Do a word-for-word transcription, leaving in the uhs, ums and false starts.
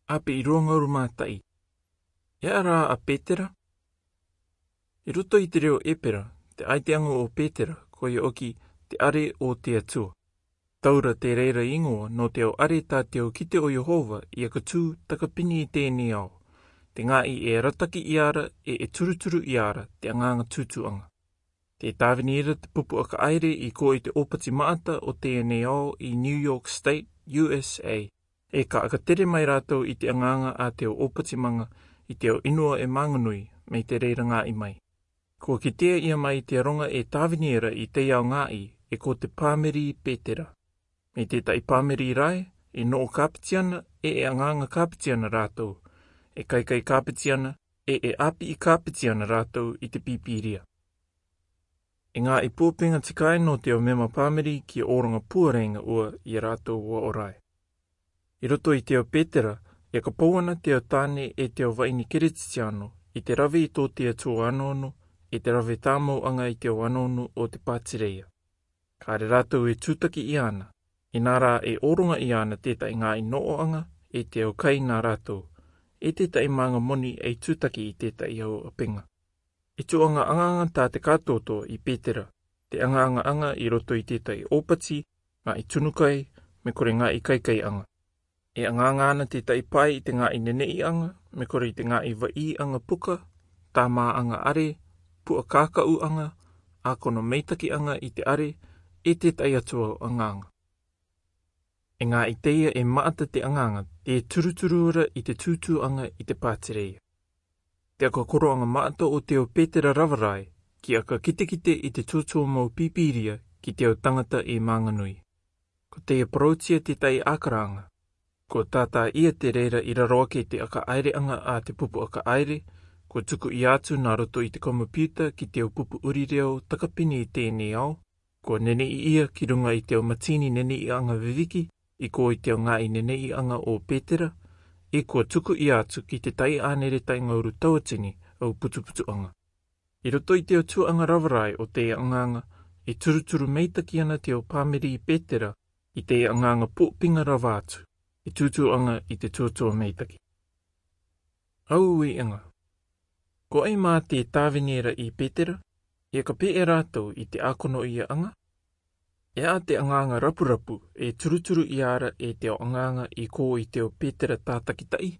Ape i ruangaru mata'i. E ara a Petera? I roto i te reo Epera, te aiteaga o Petera, ko ia oki te are o te Atua. Taura te reira igoa no te ao are ta te ao kite o Iehova i aka tu takapini i tenei ao, te ngai e arataki i ara e e turuturu i ara te agaga tutuaga. Te tavini ira te pupu aka aire i ko i te opati maata o tenei ao i New York State, U S A. E ka aka tere mai ratou i te agaga a te ao opatimaga i te ao inua e maganui, mai te reira ngai mai. Ko kitea ia mai te aronga e tavini ira i te ao ngai e ko te pamiri Petera. Mai te tai pamiri rae, e no o kapitiana, e e agaga kapitiana ratou, e kaikai kapitiana, e e api i kapitiana ratou i te pipiria. E ngai puapiga tikai no te ao mema pamiri ki a oranga puareinga ua i a ratou ua orae. I roto i te ao Petera, e ka pouana te ao tane e te ao vaini Keretitiano, i te rave i to te Atua anono, e te rave tamouaga i te ao anono o te patireia. Ka are ratou e tutaki i ana, i na ra e oronga i ana te tai ngai nooaga, e te ao kai na ratou, e te tai maga moni e tutaki i te tai ao apega. E tuaga agaga ta te katoto i Petera, te agagaaga i roto i te tai opati, ngai tunukai, me kore ngai kaikaiaga. E agaga ana te tai pai i te ngai neneiaga, me kore i te ngai vaiaga puka, tamaaga are, pua kakauaga, akono meitakiaga i te are, e te tai atu ao agaga. E ngai teia e maata te agaga, te turuturu ra i te tutuaga i te patireia. Te aka koroaga maata o te ao Petera ravarae, ki aka kitekite i te tutua mau pipiria, ki te ao tagata e maganui. Ko teia parautia te tai akaraga. Ko tata ia te reira i raro ake te aka aireaga a te pupu aka aire, ko tuku i atu na roto i te komopiuta ki te ao pupu uri reo takapini i tenei ao, ko nenei ia ki runga i te ao matini neneiaga viviki, i ko i te ao ngai neneiaga o Petera, e ko tuku i atu ki te tai anere tai ngauru tauatini au putuputuaga. I roto i te ao tuaga ravarae o te agaga, e turuturu meitaki ana te ao pamiri Petera, i te agaga puapiga rava atu, e tutuaga i te tutua meitaki. Au uiaga. Ko ai ma te tavini ra i Petera, e ka pe e ratou i te akono iaaga? E a te agaga rapurapu, e turuturu i ara e te ao agaga i ko i te ao Petera tatakitai,